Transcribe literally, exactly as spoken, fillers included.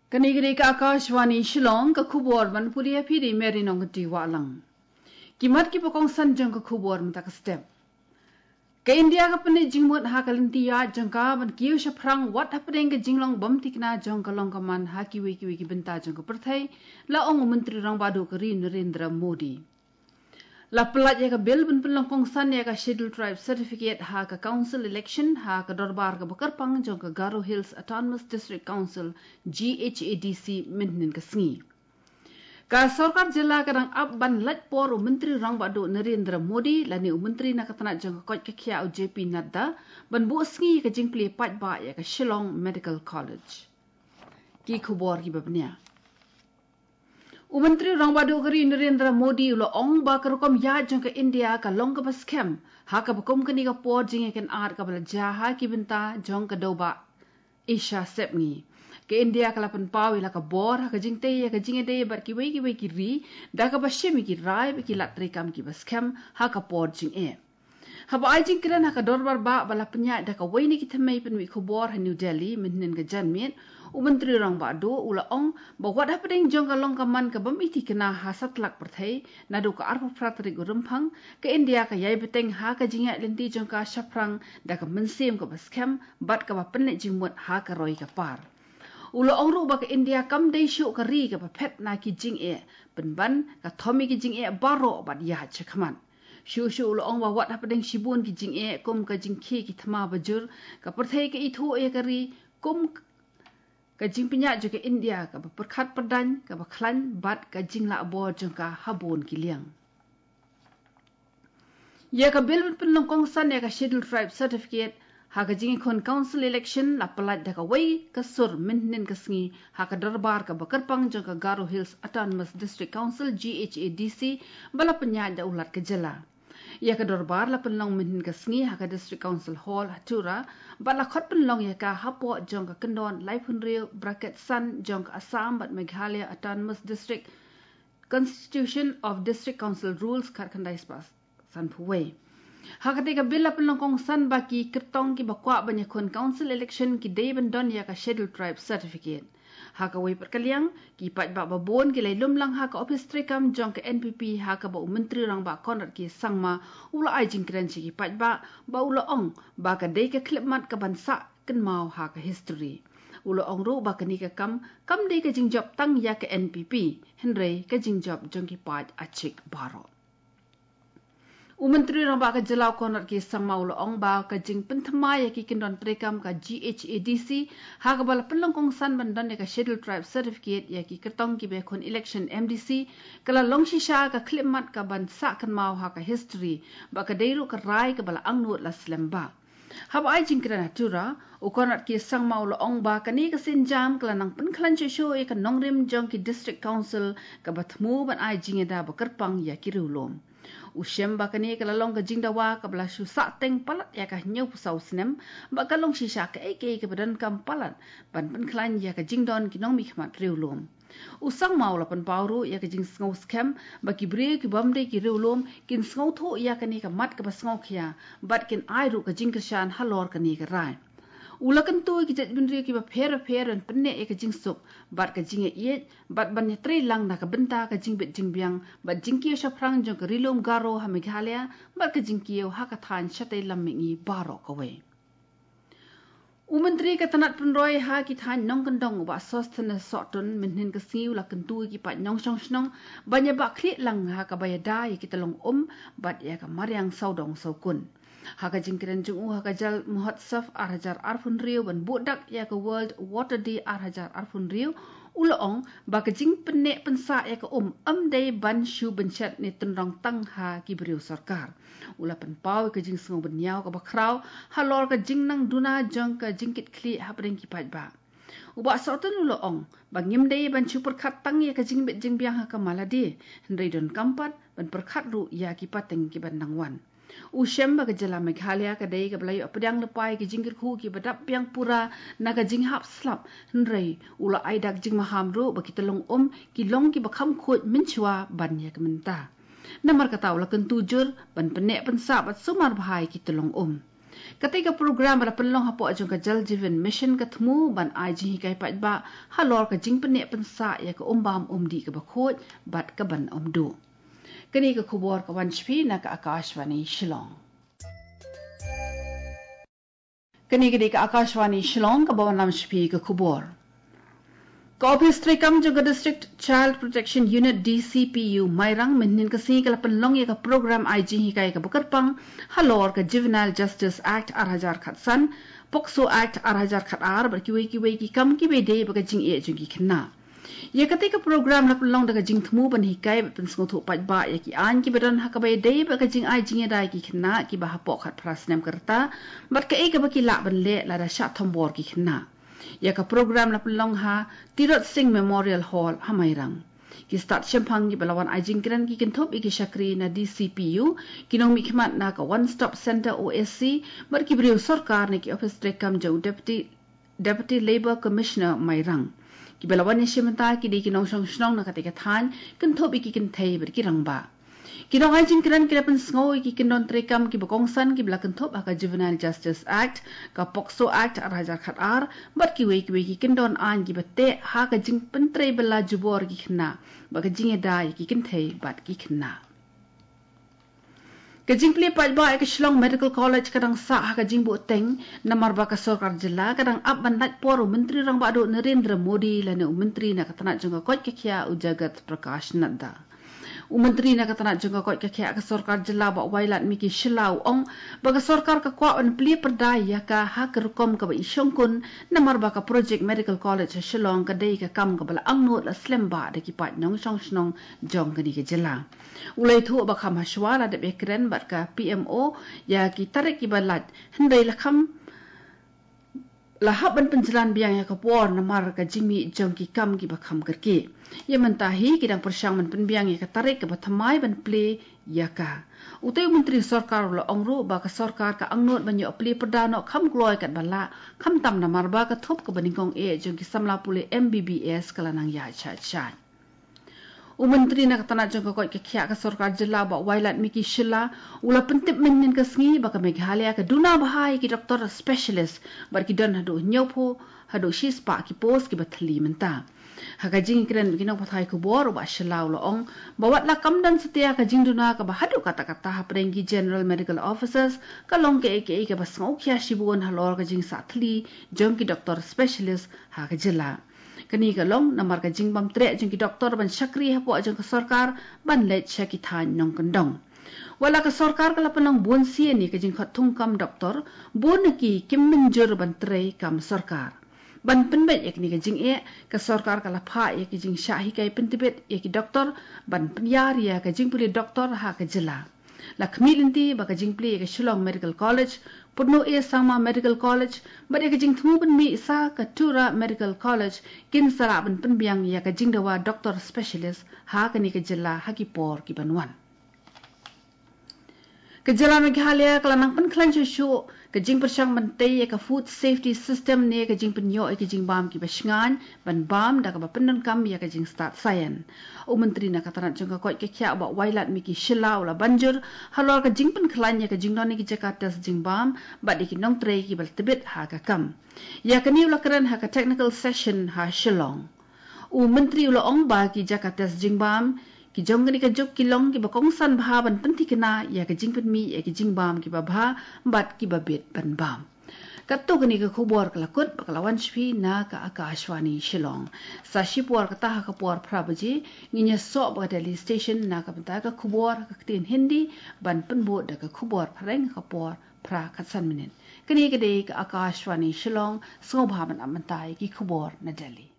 Kane ka dei ka Akashvani Shillong, ka khubor ban pule ïa phi da i Mary Nongkynrih Wahlang. Ki mat kiba kongsan jong ka khubor mynta ka step. Ka India ka pynleit jingmut ha ka lynti ïaid jong ka ban kiew shaphrang wat hapdeng ka jinglong bym thikna jong ka long ka man ha kiwei kiwei ki bynta jong ka pyrthei, la ong u Myntri Rangbah Duh ka ri Narendra Modi. La pyllait ïa ka bill ban pynlong kongsan ïa ka Scheduled Tribe Certificate ha ka Council election ha ka dorbar kaba kyrpang jong ka Garo Hills Autonomous District Council, G H A D C, mynhynnin ka sngi. Ka sorkar jylla ka dang ap ban lait por u Myntri Rangbah Duh Narendra Modi lane u Myntri na ka tnat jong ka koit ka khiah u J P Nadda ban buh sngi ïa ka jingplie paidbah ïa ka Shillong Medical College. Ki khubor kiba bniah. U Myntri Rangbah Duh ka ri Narendra Modi u la ong ba ka rukom ïaid jong ka India ka long kaba skhem ha kaba kum kane ka por jingïakynad kaba la jia ha ki bynta jong ka dewbah Asia sepngi. Ka India ka la pynpaw ïa la ka bor ha ka jingtei ïa ka jingïadei bad kiwei kiwei ki ri da kaba shim ïa ki rai bad ki lad treikam kiba skhem ha ka por jingeh. Haba ai jingkren ha ka dorbar bah ba la pynïaid da kawei na ki thymmei pynwit khubor ha New Delhi mynhynnin ka janmiet, u Myntri Rangbah Duh u la ong ba wat hapdeng jong ka long ka man ka bym ïa thikna ha satlak pyrthei, naduh ka arphew phra tarik u Rymphang, ka India ka ïai bteng ha ka jingïaid lynti jong ka shaphrang da ka mynsiem kaba skhem bad kaba pynleit jingmut ha ka roi ka par. U la ong ruh ba ka India kam dei shuh ka ri kaba phet na ki jingeh, pynban ka thom ïa ki jingeh baroh bad ïaid shakhmat. Shuh shuh u la ong ba wat hapdeng shibun ki jingeh kum ka jingkhie ki thma bajur, ka pyrthei ka ithuh ïa ka ri kum ka jingpynïaid jong ka India kaba pyrkhat pyrdaiñ, kaba khlaiñ bad ka jinglah bor jong ka ha bun ki liang. Ïa ka bill ban pynlong kongsan ïa ka Scheduled Tribe Certificate ha ka jingïakhun Council election la pyllait da kawei ka sur mynhynnin ka sngi ha ka dorbar kaba kyrpang jong ka Garo Hills Autonomous District Council, G H A D C, ba la pynïaid da u Lat ka jylla. Ïa ka dorbar la pynlong mynhynnin ka sngi ha ka District Council Hall ha Tura, bad la khot pynlong ïa ka hapoh jong ka kyndon laiphew hynriew bracket san jong ka Assam bad Meghalaya Autonomous District Constitution of District Council Rules khatkhyndai spah sanphew wei. Ha katei ka bill la pynlong kongsan ba ki kyrtong kiba kwah ban ïakhun Council election ki dei ban don ïa ka Scheduled Tribe Certificate. Ha kawei pat ka liang, ki paidbah babun ki la ïalum lang ha ka ophis treikam jong ka N P P ha kaba u Myntri Rangbah Conrad K Sangma u la ai jingkren sha ki paidbah ba u la ong ba ka dei ka khyllipmat kaban sah kynmaw ha ka history. U la ong ruh ba kane ka kam kam dei ka jingjop tang ïa ka N P P, hynrei ka jingjop jong ki paid Achik baroh. U Myntri Rangbah ka jylla u Conrad K Sangma u la ong ba ka jingpynthymmai ïa ki kyndon treikam ka G H A D C ha kaba la pynlong kongsan ban don ïa ka Scheduled Tribe Certificate ïa ki kyrtong kiba ïakhun election M D C ka la long shisha ka khyllipmat kaban sah kynmaw ha ka history, ba ka dei ruh ka rai kaba la angnud la slem bha. Haba ai jingkren ha Tura, u Conrad K Sangma u la ong ba kane ka sienjam ka la nang pynkhlaiñ shuh shuh ïa ka nongrim jong ki District Council kaba thmu ban ai jingïada ba kyrpang ïa ki riewlum. U shem ba kane ka la long ka jingdawa kaba la shu sahteng palat ïa ka hynñiewphew saw snem, bad ka long shisha kaei kaei kaba donkam palat ban pynkhlaiñ ïa ka jingdon ki nongmihkhmat riewlum. U Sangma u la pynpaw ruh ïa ka jingsngew skhem ba ki briew ki bym dei ki riewlum kin sngewthuh ïa kane ka mat kaba sngewkhia, bad kin ai ruh ka jingkyrshan halor kane ka rai. U la kyntu ïa ki jaitbynriew kiba pher bapher ban pynneh ïa ka jingsuk bad ka jingïaieit, bad ban ïatrei lang na ka bynta ka jingbit jingbiang bad jingkiew shaphrang jong ka Rilum Garo ha Meghalaya bad ka jingkiew ha ka thaiñ shatei lam mihngi baroh kawei. U Myntri ka tnat pynroi ha ki thaiñ nongkyndong u Bah Sosthenes Sohtun mynhynnin ka sngi u la kyntu ïa ki paid nongshong shnong ban ïabahkhlieh lang ha kaba ïada ïa ki tyllong um bad ïa ka mariang sawdong sawkun. Ha ka jingkren jong u ha ka Jal Mahotsav ar hajar arphew hynriew ban buh dak ïa ka World Water Day ar hajar arphew hynriew, u la ong ba ka jingpynneh pynsah ïa ka um ym dei ban shu bynshet ne tynrong tang ha ki briew sorkar. U la pynpaw ïa ka jingsngew bynñiaw kaba khraw halor ka jingnang duna jong ka jingkitkhlieh hapdeng ki paidbah. U Bah Sohtun u la ong ba ngim dei ban shu pyrkhat tang ïa ka jingbit jingbiang ha ka Maladi, hynrei donkam pat ban pyrkhat ruh ïa ki pateng kiban nang wan. U shem ba ka jylla Meghalaya ka dei kaba la ïoh pdiang lypa ïa ki jingkyrkhu kiba dap biang pura na ka jinghap slap, hynrei u la ai dak jingmaham ruh ba ki tyllong um ki long kiba kham khuid mynshuwa ban ïa ka mynta. Namar kata u la kyntu jur ban pynneh pynsah bad sumar bha ïa ki tyllong um. Katei ka program ba la pynlong hapoh jong ka Jal Jeevan Mission ka thmu ban ai jinghikai paidbah halor ka jingpynneh pynsah ïa ka umbam umdih kaba khuid bad kaban ym duh. Kane ka khubor ka wan sha phi na ka Akashvani Shillong. Kane ka dei ka Akashvani Shillong kaba wanlam sha phi ka khubor. Ka Office treikam jong ka District Child Protection Unit, D C P U, Mairang, mynhynnin ka sngi ka la pynlong ïa ka program ai jinghikai kaba kyrpang halor ka Juvenile Justice Act ar hajar khatsan, POCSO Act ar hajar khatar bad kiwei kiwei ki kam kiba dei bad ka jingeh jong ki khynnah. Ïa katei ka program la pynlong da ka jingthmu ban hikai bad pynsngewthuh paidbah ïa ki aiñ kiba don ha kaba dei bad ka jingai jingïada ïa ki khynnah kiba hapoh khatphra snem ka rta bad kaei kaba ki lah ban leh lada shah thombor ki khynnah. Ïa ka program la pynlong ha Tirot Singh Memorial Hall ha Mairang. Ki stad shemphang kiba la wan ai jingkren ki kynthup ïa ki shakri na D C P U, ki nongmihkhmat na ka One Stop Center O S C bad ki briew sorkar na ki office treikam jong u Deputy Deputy Labour Commissioner Mairang. Kiba la wan ïashim bynta ki dei ki nongshong shnong na katei ka thaiñ, kynthup ïa ki kynthei bad ki rangbah. Ki nongai jingkren ki la pynsngew ïa ki kyndon treikam kiba kongsan kiba la kynthup ha ka Juvenile Justice Act, ka POCSO Act ar hajar khatar bad kiwei kiwei ki kyndon aiñ kiba teh ha ka jingpyntrei bylla jubor ki khynnah bad ka jingïada ïa ki kynthei bad ki khynnah. Ka jingplie paidbah ïa ka Shillong Medical College ka dang sah ha ka jingbuhteng namar ba ka sorkar jylla ka dang ap ban lait por u Myntri Rangbah Duh Narendra Modi lane u Myntri na ka tnat jong ka koit ka khiah u Jagat Prakash Nadda. U Myntri na ka tnat jong ka koit ka khiah ka sorkar jylla Bah Wailadmiki Shylla u ong ba ka sorkar ka kwah ban plie pyrda ïa ka ha ka rukom kaba i shongkun namar ba ka project Medical College ha Shillong ka dei ka kam kaba la angnud la slem bha da ki paid nongshong shnong jong kane ka jylla. U la ïathuh ba kham hashwa la dep ïakren bad ka P M O ïa ki tarik kiba lait, hynrei la kham la hap ban pynjlan biang ïa ka por namar ka jingmih jong ki kam kiba kham kyrkieh. Ïa mynta hi ki dang pyrshang ban pynbiang ïa ka tarik kaba thymmai ban plie ïa ka. Utei u Myntri Sorkar u la ong ruh ba ka sorkar ka angnud ban ïoh plie pyrda noh kham kloi katba lah, khamtam namar ba ka thup kaba nyngkong eh jong ki samla pule M B B S ka la nang ïaid shaid shaid. U Myntri na ka tnat jong ka koit ka khiah ka sorkar jylla Bah Wailadmiki Shylla u la pyntip mynhynnin ka sngi ba ka Meghalaya ka duna bha ïa ki doktor specialist bad ki don haduh hynñiewphew haduh shispah ki post kiba thylli mynta. Ha ka jingkren bad ki nongpathai khubor u Bah Shylla u la ong ba wat la kam don satia ka jingduna kaba haduh katta katta hapdeng ki General Medical Officers, ka long kaei kaei kaba sngewkhia shibun halor ka jingsah thylli jong ki doktor specialist ha ka jylla. Kane ka long namar ka jingbam treh jong ki doktor ban shakri hapoh jong ka sorkar ban leit sha ki thaiñ nongkyndong. Wat la ka sorkar ka la pynlong bun sien ïa ka jingkhot thungkam doktor, bun na ki kim mynjur ban trei kam sorkar. Ban pynbeit ïa kane ka jingeh, ka sorkar ka la phah ïa ka jingshah hikai pyntbit ïa ki doktor ban pynïar ïa ka jingpule doktor ha ka jylla. La khmih lynti ba ka jingplie ïa ka Shillong Medical College, Pudno A Sangma Medical College bad ïa ka jingthmu ban mih sa ka Tura Medical College kin sa lah ban pynbiang ïa ka jingdawa doktor specialist ha kane ka jylla ha ki por kiban wan. Ka jylla Meghalaya ka la nang pynkhlaiñ shuh shuh ka jingpyrshang ban tei ïa ka food safety system ne ka jingpynïoh ïa ka jingbam kiba shngaiñ ban bam da kaba pyndonkam ïa ka jingstad saian. U Myntri na ka tnat jong ka koit ka khiah Bah Wailadmiki Shylla u la ban jur halor ka jingpynkhlaiñ ïa ka jingdon ïa ki jaka test jingbam bad ïa ki nongtrei kiba la tbit ha ka kam. Ïa kane u la kren ha ka technical session ha Shillong. U Myntri u la ong ba ki jaka test jingbam ki jong kane ka juk ki long kiba kongsan bha ban pynthikna ïa ka jingpynmih ïa ki jingbam kiba bha bad kiba bit ban bam. Katto kane ka khubor ka la kut bad ka la wan sha phi na ka Akashvani Shillong. Sa shipor kata ha ka por phra baje ngin ïasoh bad ka Delhi Station na ka bynta ka khubor ha ka ktien Hindi ban pynbud da ka khubor phareng ha ka por phra khatsan minit. Kane ka dei ka Akashvani Shillong, sngewbha ban ap mynta ïa ki khubor na Delhi.